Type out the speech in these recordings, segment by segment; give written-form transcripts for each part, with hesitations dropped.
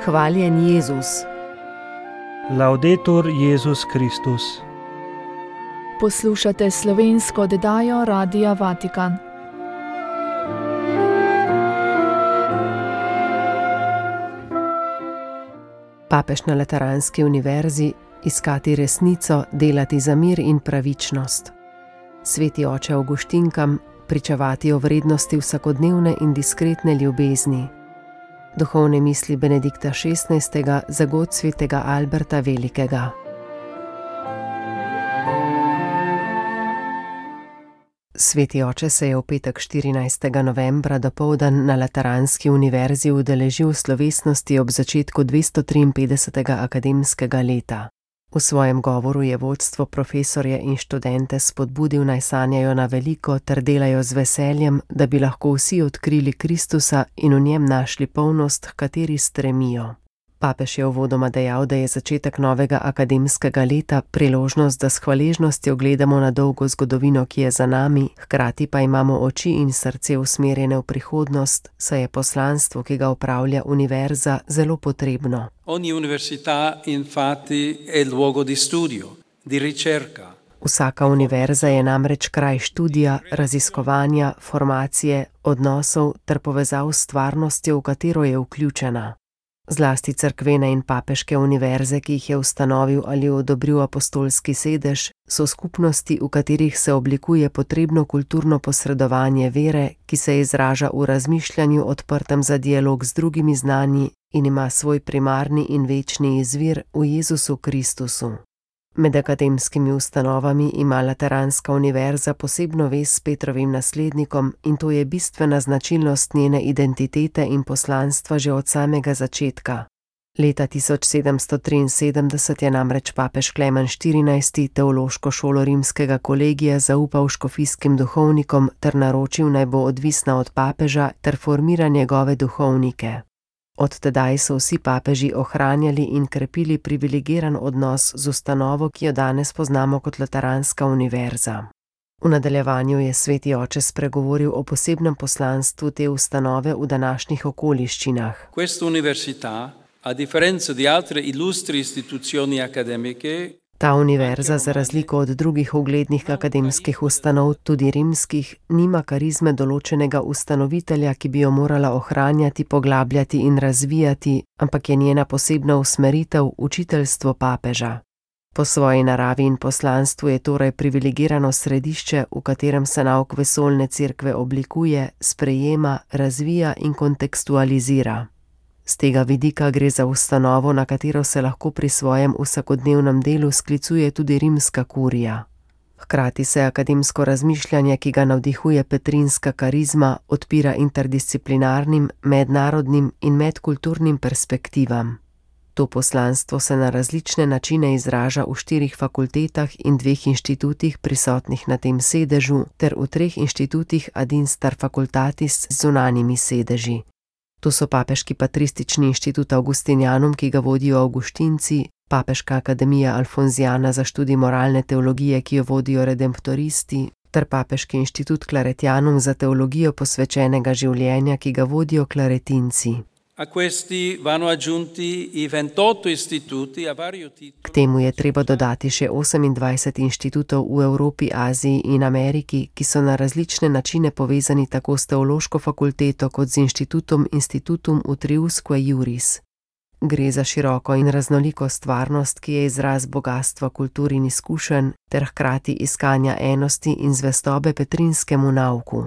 Hvaljen Jezus. Laudetur Jezus Kristus. Poslušate slovensko oddajo Radia Vatikan. Papež na Lateranski univerzi: iskati resnico, delati za mir in pravičnost. Sveti oče Avguštinkam: pričevati o vrednosti vsakodnevne in diskretne ljubezni. Duhovne misli Benedikta XVI. Za god svetega Alberta Velikega. Sveti oče se je v petek 14. novembra dopoldan na Lateranski univerzi udeležil slovesnosti ob začetku 253. akademskega leta. V svojem govoru je vodstvo, profesorje in študente spodbudil, naj sanjajo na veliko ter delajo z veseljem, da bi lahko vsi odkrili Kristusa in v njem našli polnost, h kateri stremijo. Papež je uvodoma dejal, da je začetek novega akademskega leta priložnost, da s hvaležnostjo gledamo na dolgo zgodovino, ki je za nami, hkrati pa imamo oči in srce usmerjene v prihodnost, saj je poslanstvo, ki ga opravlja univerza, zelo potrebno. Ogni università infatti è luogo di studio, di ricerca. Vsaka univerza je namreč kraj študija, raziskovanja, formacije, odnosov ter povezav s stvarnostjo, v katero je vključena. Zlasti cerkvene in papeške univerze, ki jih je ustanovil ali odobril apostolski sedež, so skupnosti, v katerih se oblikuje potrebno kulturno posredovanje vere, ki se izraža v razmišljanju odprtem za dialog z drugimi znanji in ima svoj primarni in večni izvir v Jezusu Kristusu. Med akademskimi ustanovami ima Lateranska univerza posebno vez s Petrovim naslednikom in to je bistvena značilnost njene identitete in poslanstva že od samega začetka. Leta 1773 je namreč papež Klemen XIV. Teološko šolo rimskega kolegija zaupal škofijskim duhovnikom ter naročil, naj bo odvisna od papeža ter formira njegove duhovnike. Od tedaj so vsi papeži ohranjali in krepili privilegiran odnos z ustanovo, ki jo danes poznamo kot Lateranska univerza. V nadaljevanju je sveti oče spregovoril o posebnem poslanstvu te ustanove v današnjih okoliščinah. Questa università, a differenza di altre illustri istituzioni accademiche, Ta univerza, za razliko od drugih uglednih akademskih ustanov, tudi rimskih, nima karizme določenega ustanovitelja, ki bi jo morala ohranjati, poglabljati in razvijati, ampak je njena posebna usmeritev učiteljstvo papeža. Po svoji naravi in poslanstvu je torej privilegirano središče, v katerem se nauk vesoljne cerkve oblikuje, sprejema, razvija in kontekstualizira. Z tega vidika gre za ustanovo, na katero se lahko pri svojem vsakodnevnem delu sklicuje tudi rimska kurija. Hkrati se akademsko razmišljanje, ki ga navdihuje petrinska karizma, odpira interdisciplinarnim, mednarodnim in medkulturnim perspektivam. To poslanstvo se na različne načine izraža v 4 fakultetah in 2 inštitutih prisotnih na tem sedežu ter v 3 inštitutih ad instar facultatis z zunanjimi sedeži. To so Papeški patristični inštitut Augustinianum, ki ga vodijo Avguštinci, Papeška akademija Alfonzijana za študij moralne teologije, ki jo vodijo redemptoristi, ter Papeški inštitut Claretianum za teologijo posvečenega življenja, ki ga vodijo klaretinci. a questi vanno aggiunti i 28 istituti a vario titolo. K temu je treba dodati še 28 inštitutov v Evropi, Aziji in Ameriki, ki so na različne načine povezani tako s teološko fakulteto kot z inštitutom Institutum Utriusque Iuris. Gre za široko in raznoliko stvarnost, ki je izraz bogatstva kultur in izkušenj ter hkrati iskanja enosti in zvestobe petrinskemu nauku.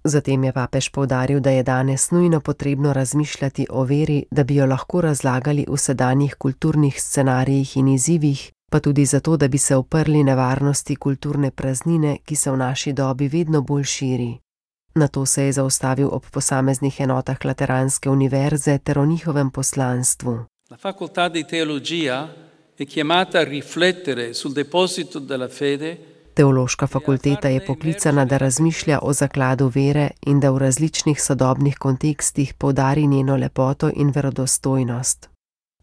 Zatem je papež poudaril, da je danes nujno potrebno razmišljati o veri, da bi jo lahko razlagali v sedanjih kulturnih scenarijih in izzivih, pa tudi zato, da bi se uprli nevarnosti kulturne praznine, ki se v naši dobi vedno bolj širi. Na to se je zaustavil ob posameznih enotah Lateranske univerze ter o njihovem poslanstvu. La facoltà di teologia è chiamata a riflettere sul deposito della fede. Teološka fakulteta je poklicana, da razmišlja o zakladu vere in da v različnih sodobnih kontekstih poudari njeno lepoto in verodostojnost.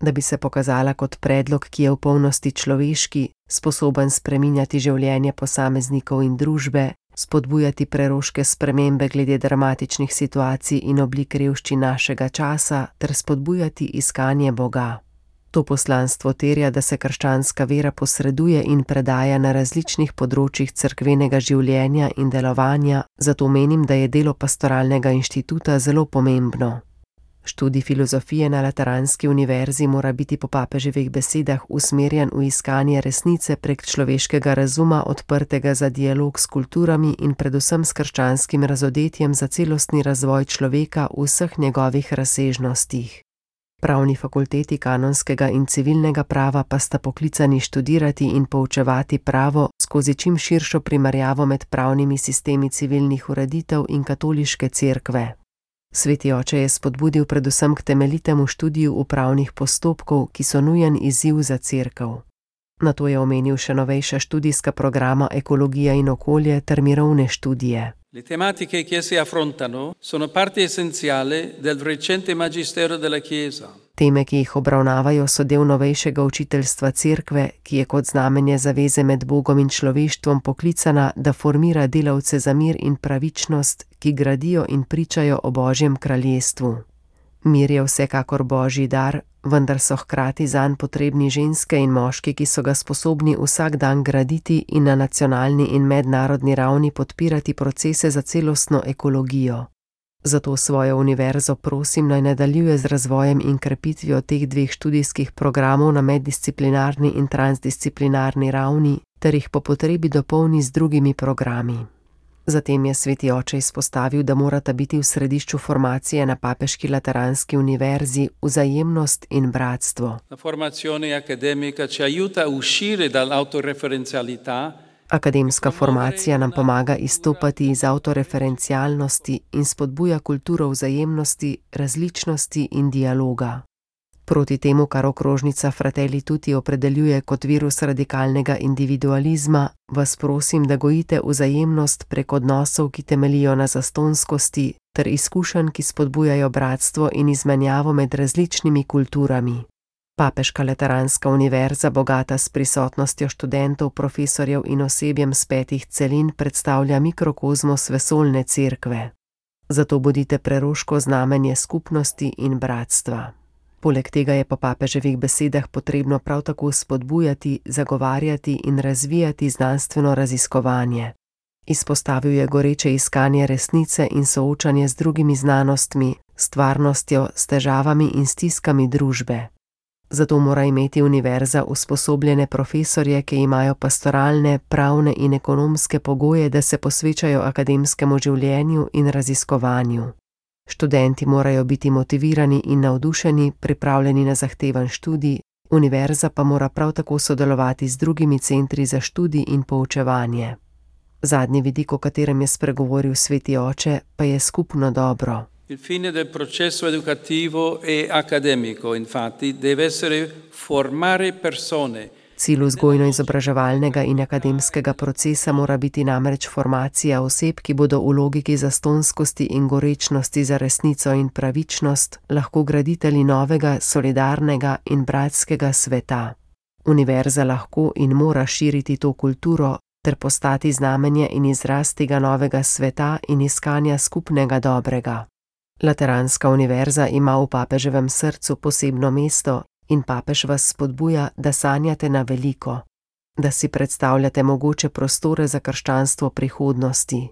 Da bi se pokazala kot predlog, ki je v polnosti človeški, sposoben spreminjati življenje posameznikov in družbe, spodbujati preroške spremembe glede dramatičnih situacij in oblik revščin našega časa ter spodbujati iskanje Boga. To poslanstvo terja, da se krščanska vera posreduje in predaja na različnih področjih cerkvenega življenja in delovanja, zato menim, da je delo pastoralnega inštituta zelo pomembno. Študij filozofije na Lateranski univerzi mora biti po papeževih besedah usmerjen v iskanje resnice prek človeškega razuma, odprtega za dialog s kulturami in predvsem s krščanskim razodetjem za celostni razvoj človeka v vseh njegovih razsežnostih. Pravni fakulteti kanonskega in civilnega prava pa sta poklicani študirati in poučevati pravo skozi čim širšo primerjavo med pravnimi sistemi civilnih ureditev in katoliške cerkve. Sveti oče je spodbudil predvsem k temeljitemu študiju upravnih postopkov, ki so nujen izziv za cerkev. Nato je omenil še novejša študijska programa Ekologija in okolje ter mirovne študije. Le tematiche che si affrontano sono parte essenziale del recente magistero della Chiesa. Teme, ki jih obravnavajo, so del novejšega učiteljstva cerkve, ki je kot znamenje zaveze med Bogom in človeštvom poklicana, da formira delavce za mir in pravičnost, ki gradijo in pričajo o Božjem kraljestvu. Mir je vsekakor Božji dar, vendar so hkrati zanj potrebni ženske in moški, ki so ga sposobni vsak dan graditi in na nacionalni in mednarodni ravni podpirati procese za celostno ekologijo. Zato svojo univerzo prosim, naj nadaljuje z razvojem in krepitvijo teh dveh študijskih programov na meddisciplinarni in transdisciplinarni ravni ter jih po potrebi dopolni z drugimi programi. Zatem je sveti oče izpostavil, da morata biti v središču formacije na Papeški Lateranski univerzi vzajemnost in bratstvo. La formazione accademica ci aiuta a uscire dall'autoreferenzialità. Akademska formacija nam pomaga izstopati iz avtoreferencialnosti in spodbuja kulturo vzajemnosti, različnosti in dialoga. Proti temu, kar okrožnica Fratelli Tutti opredeljuje kot virus radikalnega individualizma, vas prosim, da gojite vzajemnost prek odnosov, ki temeljijo na zastonskosti, ter izkušenj, ki spodbujajo bratstvo in izmenjavo med različnimi kulturami. Papeška Lateranska univerza, bogata s prisotnostjo študentov, profesorjev in osebjem z 5 celin, predstavlja mikrokozmos vesoljne cerkve. Zato bodite preroško znamenje skupnosti in bratstva. Poleg tega je po papeževih besedah potrebno prav tako spodbujati, zagovarjati in razvijati znanstveno raziskovanje. Izpostavil je goreče iskanje resnice in soočanje z drugimi znanostmi, stvarnostjo, s težavami in stiskami družbe. Zato mora imeti univerza usposobljene profesorje, ki imajo pastoralne, pravne in ekonomske pogoje, da se posvečajo akademskemu življenju in raziskovanju. Študenti morajo biti motivirani in navdušeni, pripravljeni na zahteven študij, univerza pa mora prav tako sodelovati z drugimi centri za študij in poučevanje. Zadnji vidik, o katerem je spregovoril sveti oče, pa je skupno dobro. Il fine del processo educativo e accademico, infatti, deve essere formare persone. Cilj vzgojno-izobraževalnega in akademskega procesa mora biti namreč formacija oseb, ki bodo v logiki zastonskosti in gorečnosti za resnico in pravičnost lahko graditelji novega, solidarnega in bratskega sveta. Univerza lahko in mora širiti to kulturo ter postati znamenje in izraz tega novega sveta in iskanja skupnega dobrega. Lateranska univerza ima v papeževem srcu posebno mesto in papež vas spodbuja, da sanjate na veliko, da si predstavljate mogoče prostore za krščanstvo prihodnosti,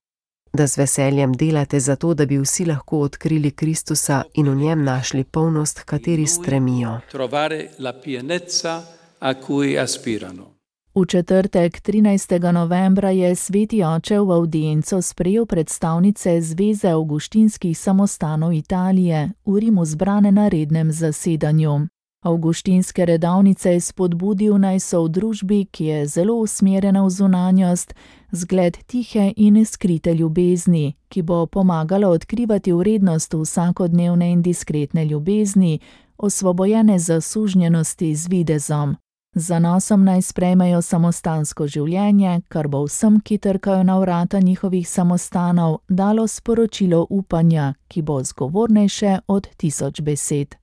da z veseljem delate za to, da bi vsi lahko odkrili Kristusa in v njem našli polnost, h kateri stremijo. Trovare la pienezza a cui aspirano. V četrtek 13. novembra je sveti oče v avdienco sprejel predstavnice Zveze avguštinskih samostanov Italije, v Rimu zbrane na rednem zasedanju. Avguštinske redovnice je spodbudil, naj so v družbi, ki je zelo usmerjena v zunanjost, zgled tihe in skrite ljubezni, ki bo pomagala odkrivati vrednost vsakodnevne in diskretne ljubezni, osvobojene zasužnjenosti z videzom. Z zanosom naj sprejmejo samostansko življenje, kar bo vsem, ki trkajo na vrata njihovih samostanov, dalo sporočilo upanja, ki bo zgovornejše od 1000 besed.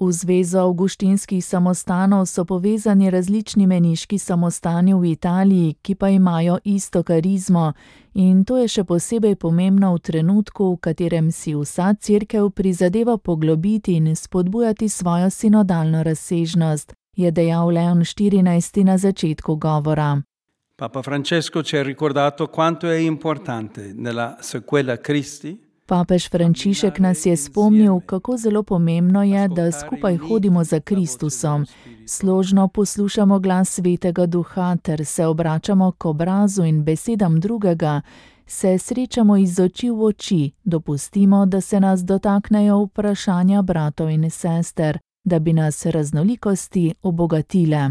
V Zvezo avguštinskih samostanov so povezani različni meniški samostani v Italiji, ki pa imajo isto karizmo, in to je še posebej pomembno v trenutku, v katerem si vsa cerkev prizadeva poglobiti in spodbujati svojo sinodalno razsežnost, je dejal Leon XIV na začetku govora. Papa Francesco ci ha ricordato quanto è importante nella sequela Christi. Papež Frančišek nas je spomnil, kako zelo pomembno je, da skupaj hodimo za Kristusom, složno poslušamo glas Svetega Duha ter se obračamo k obrazu in besedam drugega, se srečamo iz oči v oči, dopustimo, da se nas dotaknejo vprašanja bratov in sester, da bi nas raznolikosti obogatile.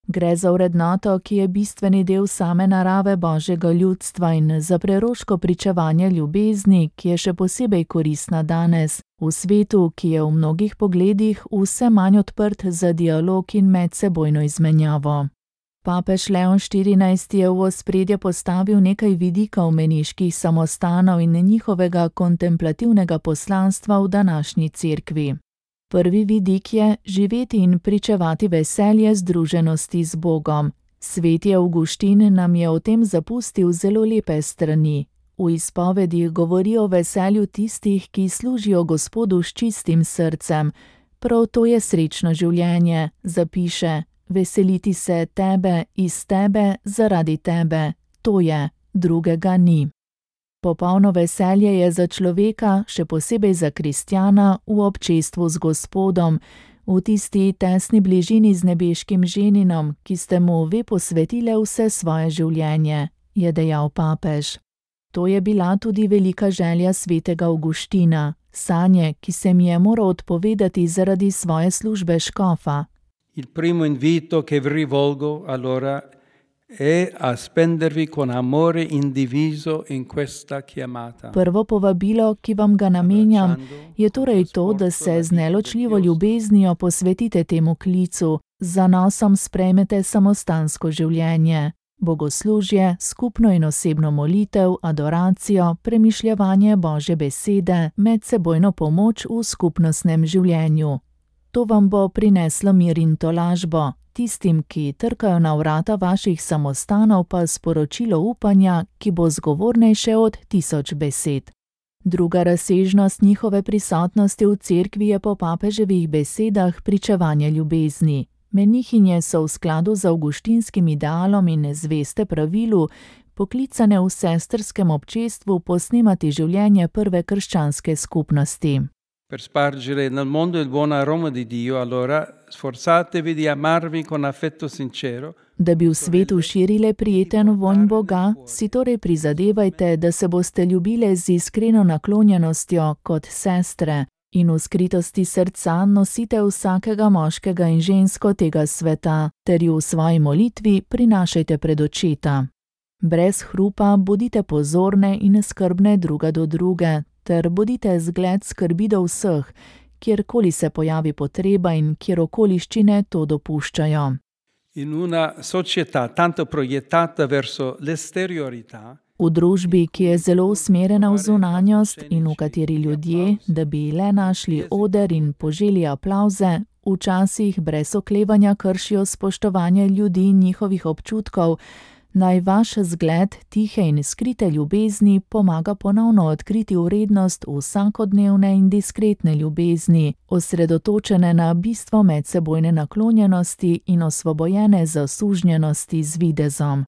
Gre za vrednoto, ki je bistveni del same narave Božjega ljudstva in za preroško pričevanje ljubezni, ki je še posebej koristna danes, v svetu, ki je v mnogih pogledih vse manj odprt za dialog in medsebojno izmenjavo. Papež Leon XIV je v ospredje postavil nekaj vidikov meniških samostanov in njihovega kontemplativnega poslanstva v današnji cerkvi. Prvi vidik je živeti in pričevati veselje združenosti z Bogom. Sveti Avguštin nam je o tem zapustil zelo lepe strani. V izpovedih govori o veselju tistih, ki služijo Gospodu s čistim srcem. Prav to je srečno življenje, zapiše, veseliti se tebe, iz tebe, zaradi tebe. To je, drugega ni. Popolno veselje je za človeka, še posebej za kristjana, v občestvu z Gospodom, v tisti tesni bližini z nebeškim ženinom, ki ste mu ve posvetile vse svoje življenje, je dejal papež. To je bila tudi velika želja svetega Avguština, sanje, ki se mi je moral odpovedati zaradi svoje službe škofa. Il primo invito che vi rivolgo allora è a spendervi con amore indiviso in questa chiamata. Prvo povabilo, ki vam ga namenjam, je torej to, da se z neločljivo ljubeznijo posvetite temu klicu, z zanosom sprejmete samostansko življenje, bogoslužje, skupno in osebno molitev, adoracijo, premišljevanje Božje besede, medsebojno pomoč v skupnostnem življenju. To vam bo prineslo mir in tolažbo. Tistim, ki trkajo na vrata vaših samostanov, pa sporočilo upanja, ki bo zgovornejše od 1000 besed. Druga razsežnost njihove prisotnosti v cerkvi je po papeževih besedah pričevanje ljubezni. Menihinje so v skladu z avguštinskim idealom in zveste pravilu poklicane v sestrskem občestvu posnemati življenje prve krščanske skupnosti. Per spargere nel mondo il buon aroma di Dio, allora sforzatevi di amarvi con affetto sincero. Da bi v svetu širile prijeten vonj Boga, si torej prizadevajte, da se boste ljubile z iskreno naklonjenostjo kot sestre in v skritosti srca nosite vsakega moškega in žensko tega sveta, ter ju v svoji molitvi prinašajte pred očeta. Brez hrupa bodite pozorne in skrbne druga do druge, ter bodite zgled skrbi do vseh, kjerkoli se pojavi potreba in kjer okoliščine to dopuščajo. In una società tanto proiettata verso l'esteriorità, v družbi, ki je zelo usmerjena v zunanjost in v kateri ljudje, da bi le našli oder in poželi aplavze, včasih brez oklevanja kršijo spoštovanje ljudi in njihovih občutkov, naj vaš zgled tihe in skrite ljubezni pomaga ponovno odkriti vrednost vsakodnevne in diskretne ljubezni, osredotočene na bistvo medsebojne naklonjenosti in osvobojene zasužnjenosti z videzom.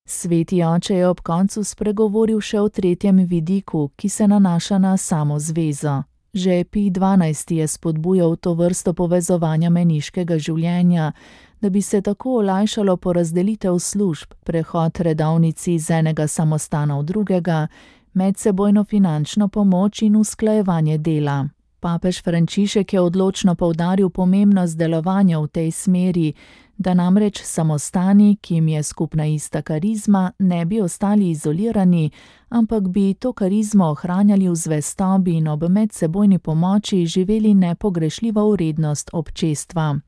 Sveti oče je ob koncu spregovoril še o tretjem vidiku, ki se nanaša na samo zvezo. Že Pij XII je spodbujal to vrsto povezovanja meniškega življenja, da bi se tako olajšalo porazdelitev služb, prehod redovnici iz enega samostana v drugega, medsebojno finančno pomoč in usklajevanje dela. Papež Frančišek je odločno poudaril pomembnost delovanja v tej smeri, da namreč samostani, ki jim je skupna ista karizma, ne bi ostali izolirani, ampak bi to karizmo ohranjali v zvestobi in ob medsebojni pomoči živeli nepogrešljivo vrednost občestva.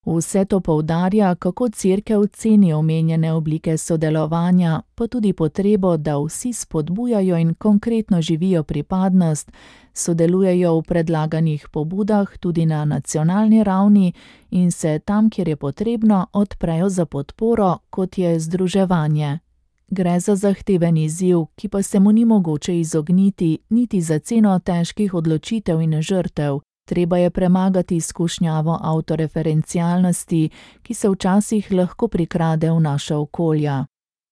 Vse to poudarja, kako Cerkev ceni omenjene oblike sodelovanja, pa tudi potrebo, da vsi spodbujajo in konkretno živijo pripadnost, sodelujejo v predlaganih pobudah tudi na nacionalni ravni in se tam, kjer je potrebno, odprejo za podporo, kot je združevanje. Gre za zahteven izziv, ki pa se mu ni mogoče izogniti, niti za ceno težkih odločitev in žrtev. Treba je premagati izkušnjavo avtoreferencialnosti, ki se včasih lahko prikrade v naša okolja.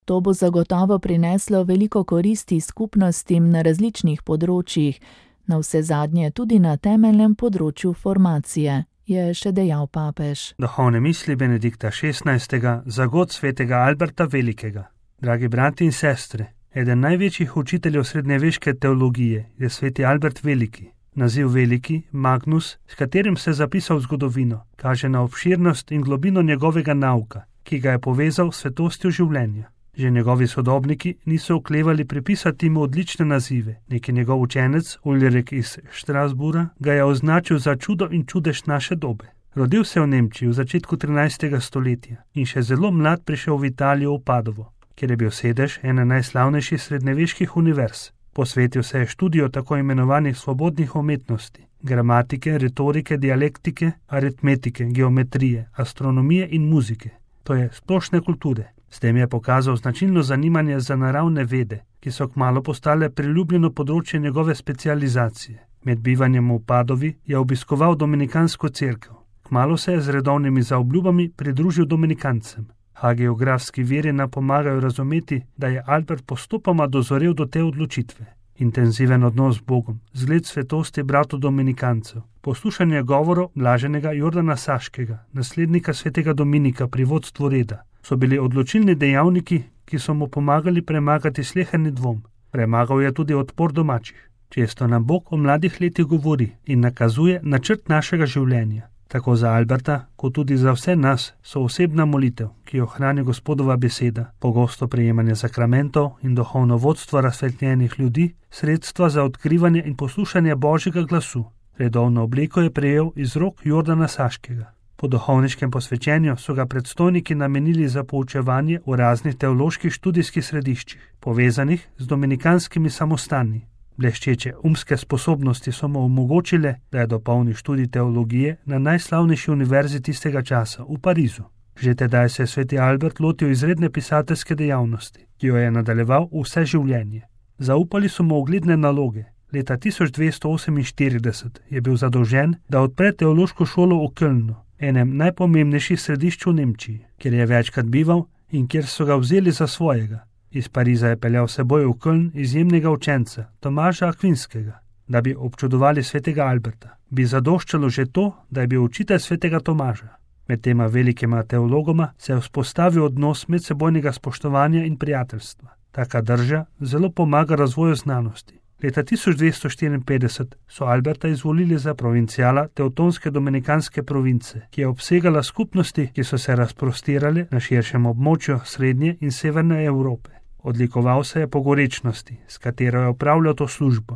To bo zagotovo prineslo veliko koristi skupnostim na različnih področjih, navsezadnje tudi na temeljnem področju formacije, je še dejal papež. Duhovne misli Benedikta XVI za god svetega Alberta Velikega. Dragi brati in sestre, eden največjih učiteljev srednjeveške teologije je sveti Albert Veliki. Naziv Veliki, Magnus, s katerim se je zapisal zgodovino, kaže na obširnost in globino njegovega nauka, ki ga je povezal s svetostjo življenja. Že njegovi sodobniki niso oklevali pripisati mu odlične nazive. Neki njegov učenec, Ulrik iz Strasbura, ga je označil za čudo in čudež naše dobe. Rodil se v Nemčiji v začetku 13. stoletja in še zelo mlad prišel v Italijo v Padovo, kjer je bil sedež ene najslavnejših srednjeveških univerz. Posvetil se je študiju tako imenovanih svobodnih umetnosti, gramatike, retorike, dialektike, aritmetike, geometrije, astronomije in muzike, to je splošne kulture. S tem je pokazal značilno zanimanje za naravne vede, ki so kmalu postale priljubljeno področje njegove specializacije. Med bivanjem v Padovi je obiskoval dominikansko cerkev. Kmalu se je z redovnimi zaobljubami pridružil dominikancem. Hagiografski viri nam pomagajo razumeti, da je Albert postopoma dozorel do te odločitve. Intenziven odnos z Bogom, zgled svetosti bratov dominikancev, poslušanje govorov blaženega Jordana Saškega, naslednika svetega Dominika pri vodstvu reda, so bili odločilni dejavniki, ki so mu pomagali premagati sleherni dvom. Premagal je tudi odpor domačih. Često nam Bog o mladih letih govori in nakazuje načrt našega življenja. Tako za Alberta, kot tudi za vse nas, so osebna molitev, ki jo hrani Gospodova beseda, pogosto prejemanje sakramentov in duhovno vodstvo razsvetljenih ljudi, sredstva za odkrivanje in poslušanje Božjega glasu. Redovno obliko je prejel iz rok Jordana Saškega. Po duhovniškem posvečenju so ga predstojniki namenili za poučevanje v raznih teoloških študijskih središčih, povezanih z dominikanskimi samostani. Bleščeče umske sposobnosti so mu omogočile, da je dopolnil študij teologije na najslavnejši univerzi tistega časa, v Parizu. Že tedaj se je sveti Albert lotil izredne pisateljske dejavnosti, ki jo je nadaljeval vse življenje. Zaupali so mu ugledne naloge. Leta 1248 je bil zadolžen, da odpre teološko šolo v Kölnu, enem najpomembnejših središč v Nemčiji, kjer je večkrat bival in kjer so ga vzeli za svojega. Iz Pariza je peljal seboj v Köln izjemnega učenca, Tomaža Akvinskega, da bi občudovali svetega Alberta. Bi zadoščalo že to, da je bil učitelj svetega Tomaža. Med tema velikima teologoma se je vzpostavil odnos medsebojnega spoštovanja in prijateljstva. Taka drža zelo pomaga razvoju znanosti. Leta 1254 so Alberta izvolili za provincijala Teutonske dominikanske province, ki je obsegala skupnosti, ki so se razprostirale na širšem območju srednje in severne Evrope. Odlikoval se je po gorečnosti, s katero je opravljal to službo.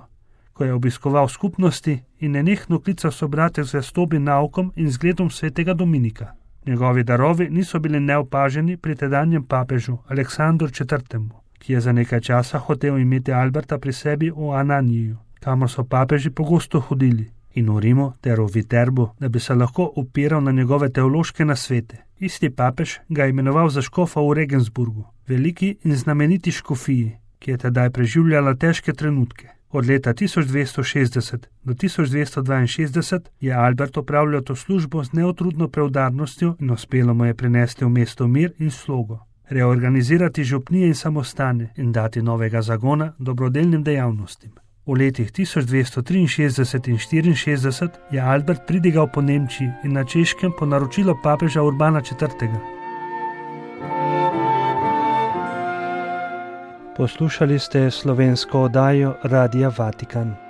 Ko je obiskoval skupnosti in nenehno klical sobrate z zvestobi naukom in zgledom svetega Dominika. Njegovi darovi niso bili neopaženi pri tedanjem papežu Aleksandru IV., ki je za nekaj časa hotel imeti Alberta pri sebi v Ananiju, kamor so papeži pogosto hodili, in v Rimu ter v Viterbu, da bi se lahko opiral na njegove teološke nasvete. Isti papež ga je imenoval za škofa v Regensburgu, veliki in znameniti škofiji, ki je tedaj preživljala težke trenutke. Od leta 1260 do 1262 je Albert opravljal to službo z neotrudno preudarnostjo in uspelo mu je prinesti v mesto mir in slogo, reorganizirati župnije in samostane in dati novega zagona dobrodelnim dejavnostim. V letih 1263 in 64 je Albert pridigal po Nemčiji in na Češkem po naročilo papeža Urbana IV. Poslušali ste slovensko oddajo Radia Vatikan.